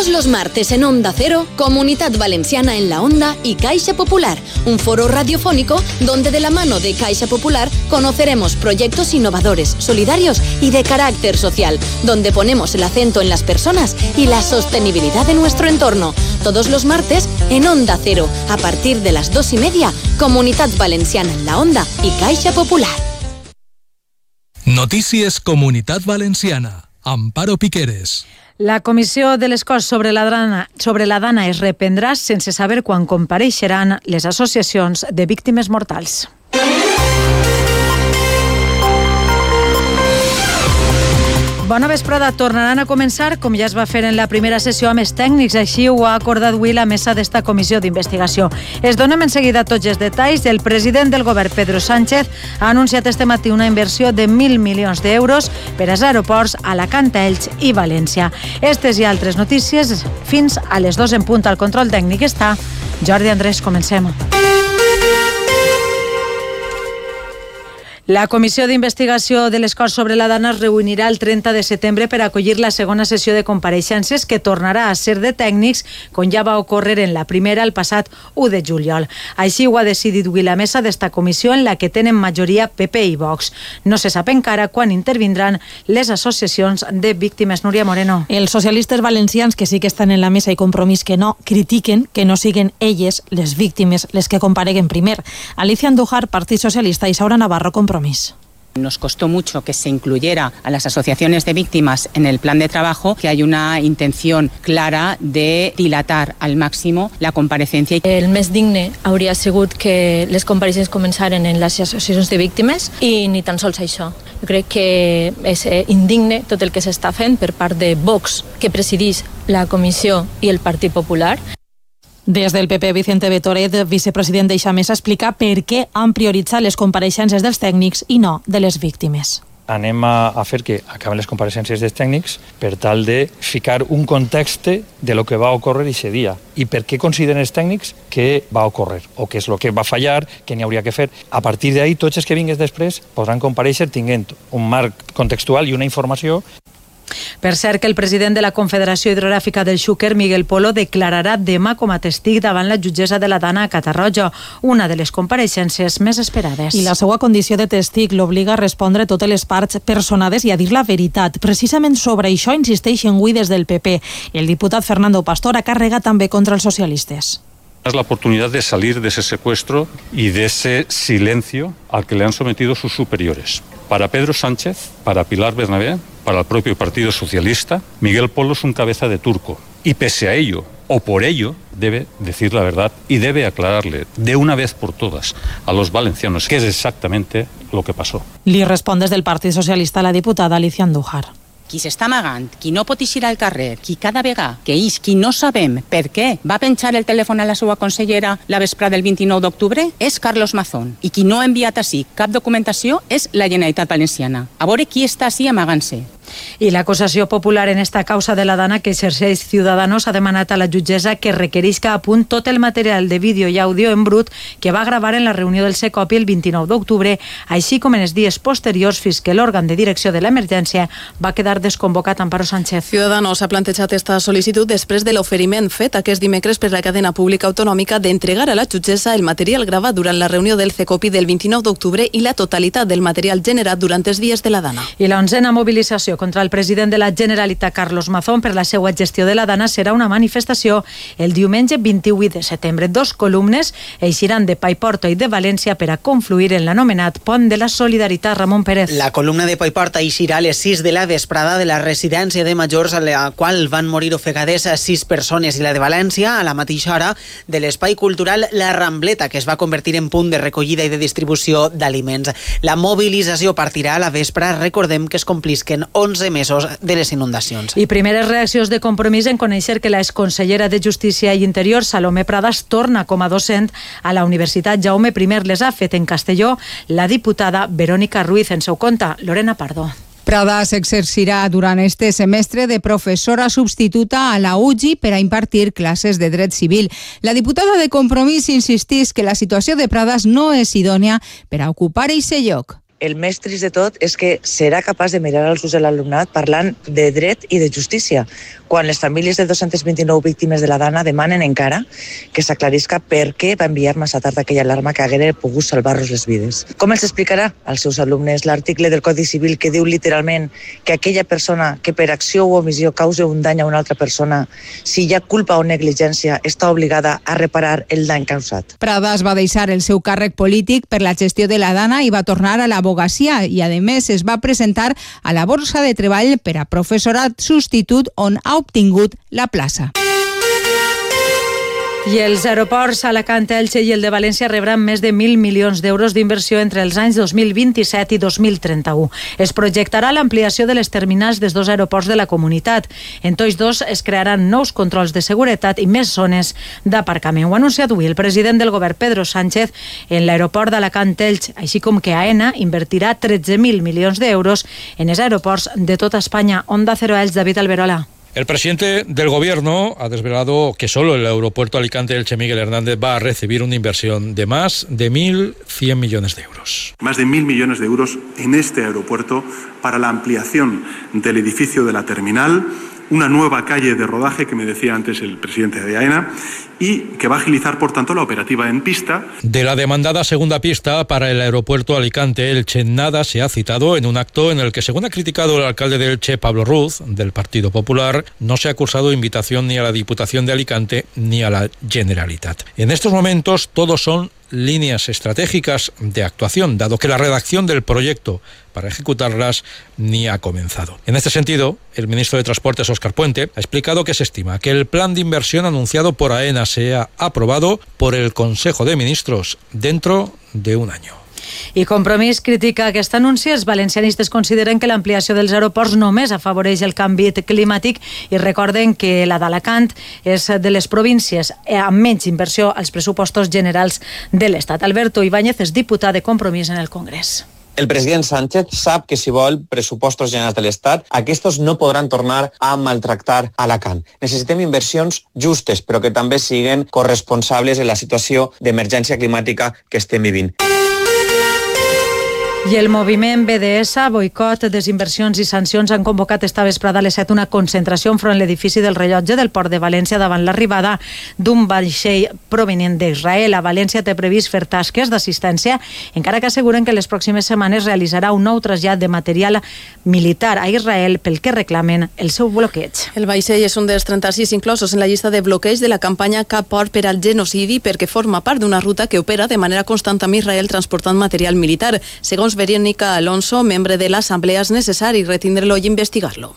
Todos los martes en Onda Cero, Comunidad Valenciana en la Onda y Caixa Popular, un foro radiofónico donde de la mano de Caixa Popular conoceremos proyectos innovadores, solidarios y de carácter social, donde ponemos el acento en las personas y la sostenibilidad de nuestro entorno. Todos los martes en Onda Cero, a partir de las 2:30, Comunidad Valenciana en la Onda y Caixa Popular. Notícies Comunitat Valenciana. Amparo Piqueres. La comissió de les Corts sobre la dana es reprendrà sense saber quan compareixeran les associacions de víctimes mortals. Bona vesprada. Tornaran a començar, com ja es va fer en la primera sessió, amb els tècnics. Així ho ha acordat avui la mesa d'esta comissió d'investigació. Es donem en seguida tots els detalls. El president del govern, Pedro Sánchez, ha anunciat este matí una inversió de 1.000 milions d'euros per als aeroports Alacant, Elx i València. Estes i altres notícies fins a les 2 en punt. Al control tècnic està Jordi Andrés. Comencem. La Comissió d'Investigació de les Corts sobre la Dana es reunirà el 30 de setembre per acollir la segona sessió de compareixences, que tornarà a ser de tècnics, com ja va ocórrer en la primera el passat 1 de juliol. Així ho ha decidit avui la mesa d'esta comissió, en la que tenen majoria PP i Vox. No se sap encara quan intervindran les associacions de víctimes. Núria Moreno. Els socialistes valencians, que sí que estan en la mesa i Compromís que no, critiquen que no siguen elles, les víctimes, les que compareguen primer. Alicia Andújar, Partit Socialista, i Saura Navarro, Compromís. Nos costó mucho que se incluyera a las asociaciones de víctimas en el plan de trabajo, que hay una intención clara de dilatar al máximo la comparecencia. El més digne hauria sigut que les compareixences començaren en les associacions de víctimes i ni tan sols això. Jo crec que és indigne tot el que s'està fent per part de Vox, que presideix la comissió, i el Partit Popular. Des del PP, Vicente Betoret, vicepresident d'eixa mesa, explica per què han prioritzat les compareixences dels tècnics i no de les víctimes. Anem a fer que acaben les compareixences dels tècnics per tal de ficar un context de lo que va ocórrer aquest dia i per què consideren els tècnics que va ocórrer o què és el que va fallar, què n'hi hauria que fer. A partir d'ahí, tots els que vinguin després podran comparèixer tinguent un marc contextual i una informació. Per cert, que el president de la Confederació Hidrogràfica del Xúquer, Miguel Polo, declararà demà com a testig davant la jutgessa de la Dana a Catarroja, una de les compareixences més esperades. I la seva condició de testig l'obliga a respondre totes les parts personades i a dir la veritat. Precisament sobre això insisteixen avui des del PP. El diputat Fernando Pastor ha carregat també contra els socialistes. Es la oportunidad de salir de ese secuestro y de ese silencio al que le han sometido sus superiores. Para Pedro Sánchez, para Pilar Bernabé, para el propio Partido Socialista, Miguel Polo es un cabeza de turco. Y pese a ello, o por ello, debe decir la verdad y debe aclararle de una vez por todas a los valencianos qué es exactamente lo que pasó. Li respon des del Partit Socialista la diputada Alicia Andújar. Qui s'està amagant, qui no pot eixir al carrer, qui cada vegada que ix, qui no sabem per què va penjar el telèfon a la seva consellera la vesprada del 29 d'octubre, és Carlos Mazón. I qui no ha enviat així cap documentació és la Generalitat Valenciana. A veure qui està així amagant-se. I l'acusació popular en esta causa de la Dana que exerceix Ciudadanos ha demanat a la jutgessa que requerisca a punt tot el material de vídeo i àudio en brut que va gravar en la reunió del Secopi el 29 d'octubre, així com en els dies posteriors fins que l'òrgan de direcció de l'emergència va quedar desconvocat. Amparo Sánchez. Ciudadanos ha plantejat esta sol·licitud després de l'oferiment fet aquest dimecres per la cadena pública autonòmica d'entregar a la jutgessa el material gravat durant la reunió del Secopi del 29 d'octubre i la totalitat del material generat durant els dies de la Dana. I la 11a mobilització contra el president de la Generalitat, Carlos Mazón, per la seva gestió de la Dana serà una manifestació el diumenge 28 de setembre. 2 columnes eixiran de Paiporta i de València per a confluir en l'anomenat Pont de la Solidaritat. Ramon Pérez. La columna de Paiporta eixirà a les 6 de la vesprada de la residència de majors a la qual van morir ofegades 6 persones, i la de València a la mateixa hora de l'espai cultural La Rambleta, que es va convertir en punt de recollida i de distribució d'aliments. La mobilització partirà a la vespre. Recordem que es complisquen 11 mesos de les inundacions. I primeres reaccions de Compromís en conèixer que la exconsellera de Justícia i Interior, Salomé Pradas, torna com a docent a la Universitat Jaume I. Les ha fet en Castelló la diputada Verónica Ruiz. En seu compte, Lorena Pardo. Pradas exercirà durant este semestre de professora substituta a la UGI per a impartir classes de dret civil. La diputada de Compromís insistís que la situació de Pradas no és idònia per a ocupar eixe lloc. el més trist de tot és que serà capaç de mirar als ulls de l'alumnat parlant de dret i de justícia, quan les famílies de 229 víctimes de la Dana demanen encara que s'aclarisca per què va enviar massa tard aquella alarma que haguera pogut salvar-los les vides. Com els explicarà als seus alumnes l'article del Codi Civil que diu literalment que aquella persona que per acció o omissió causa un dany a una altra persona, si hi ha culpa o negligència, està obligada a reparar el dany causat? Pradas va deixar el seu càrrec polític per la gestió de la Dana i va tornar a l'abogacia i, a més, es va presentar a la Borsa de Treball per a professorat substitut on ha obtingut la plaça. I els aeroports Alacant, Elche i el de València rebran més de 1.000 milions d'euros d'inversió entre els anys 2027 i 2031. Es projectarà l'ampliació de les terminals dels dos aeroports de la comunitat. En tots dos es crearan nous controls de seguretat i més zones d'aparcament. Ho ha anunciat avui el president del govern, Pedro Sánchez, en l'aeroport d'Alacant, Elche, així com que AENA invertirà 13.000 milions d'euros en els aeroports de tota Espanya. Onda Cero Elche, David Alberola. El presidente del gobierno ha desvelado que solo el aeropuerto Alicante-Elche Miguel Hernández va a recibir una inversión de más de 1.100 millones de euros. Más de 1.000 millones de euros en este aeropuerto para la ampliación del edificio de la terminal, una nueva calle de rodaje que me decía antes el presidente de AENA y que va a agilizar, por tanto, la operativa en pista. De la demandada segunda pista para el aeropuerto Alicante-Elche nada se ha citado en un acto en el que, según ha criticado el alcalde de Elche, Pablo Ruz, del Partido Popular, no se ha cursado invitación ni a la Diputación de Alicante ni a la Generalitat. En estos momentos todos son líneas estratégicas de actuación, dado que la redacción del proyecto para ejecutarlas ni ha comenzado. En este sentido, el ministro de Transportes, Óscar Puente, ha explicado que se estima que el plan de inversión anunciado por AENA sea aprobado por el Consejo de Ministros dentro de un año. I Compromís critica aquest anunci. Els valencianistes consideren que l'ampliació dels aeroports només afavoreix el canvi climàtic i recorden que la d'Alacant és de les províncies amb menys inversió als pressupostos generals de l'Estat. Alberto Ibáñez és diputat de Compromís en el Congrés. El president Sánchez sap que si vol pressupostos generals de l'Estat, aquests no podran tornar a maltractar Alacant. Necessitem inversions justes, però que també siguin corresponsables en la situació d'emergència climàtica que estem vivint. I el moviment BDS, Boicot, Desinversions i Sancions han convocat esta vesprada a les 7 una concentració enfront l'edifici del rellotge del Port de València davant l'arribada d'un vaixell provenent d'Israel. A València té previst fer tasques d'assistència, encara que asseguren que les pròximes setmanes realitzarà un nou trasllat de material militar a Israel pel que reclamen el seu bloqueig. El vaixell és un dels 36 inclosos en la llista de bloqueig de la campanya Cap Port per al genocidi perquè forma part d'una ruta que opera de manera constant amb Israel transportant material militar. Segons Verónica Alonso, membre de l'Assemblea, és necessari retindre-lo i investigar-lo.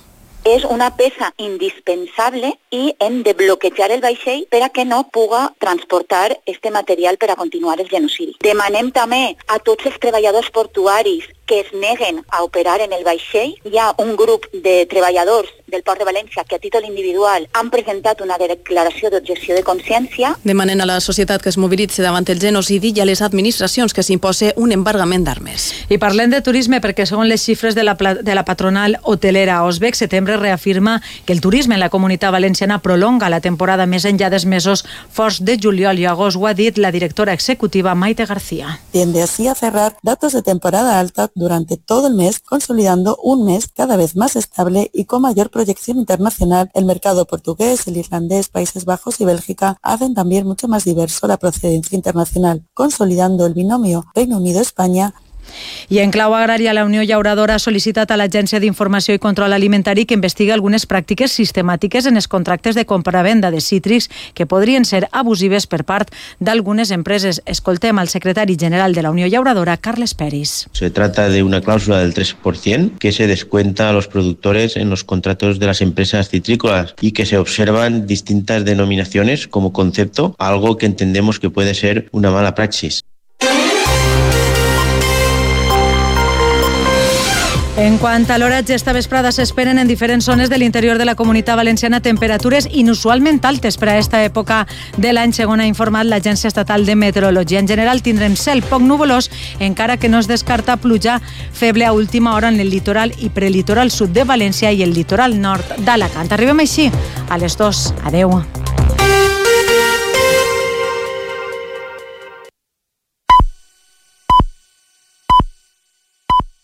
És una peça indispensable i hem de bloquejar el vaixell per a que no puga transportar este material per a continuar el genocidi. Demanem també a tots els treballadors portuaris que es neguen a operar en el vaixell. Hi ha un grup de treballadors del Port de València que a títol individual han presentat una declaració d'objecció de consciència. Demanen a la societat que es mobilitzi davant el genocidi i a les administracions que s'imposi un embargament d'armes. I parlem de turisme perquè segons les xifres de la patronal hotelera Osbec, setembre reafirma que el turisme en la Comunitat Valenciana prolonga la temporada més enllà dels mesos forts de juliol i agost. Ho ha dit la directora executiva Maite García. Tiende así a cerrar datos de temporada alta durante todo el mes, consolidando un mes cada vez más estable y con mayor proyección internacional. El mercado portugués, el irlandés, Países Bajos y Bélgica hacen también mucho más diverso la procedencia internacional, consolidando el binomio Reino Unido-España. I en clau agrària, la Unió Llauradora ha sol·licitat a l'Agència d'Informació i Control Alimentari que investigui algunes pràctiques sistemàtiques en els contractes de compra-venda de cítrics que podrien ser abusives per part d'algunes empreses. Escoltem al secretari general de la Unió Llauradora, Carles Peris. Se trata de una cláusula del 3% que se descuenta a los productores en los contratos de las empresas citrícolas y que se observan distintas denominaciones como concepto, algo que entendemos que puede ser una mala praxis. En quant a l'horatge, esta vesprada s'esperen en diferents zones de l'interior de la Comunitat Valenciana temperatures inusualment altes per a esta època de l'any, segons ha informat l'Agència Estatal de Meteorologia. En general tindrem cel poc nuvolós, encara que no es descarta pluja feble a última hora en el litoral i prelitoral sud de València i el litoral nord d'Alacant. Arribem així a les 2. Adeu.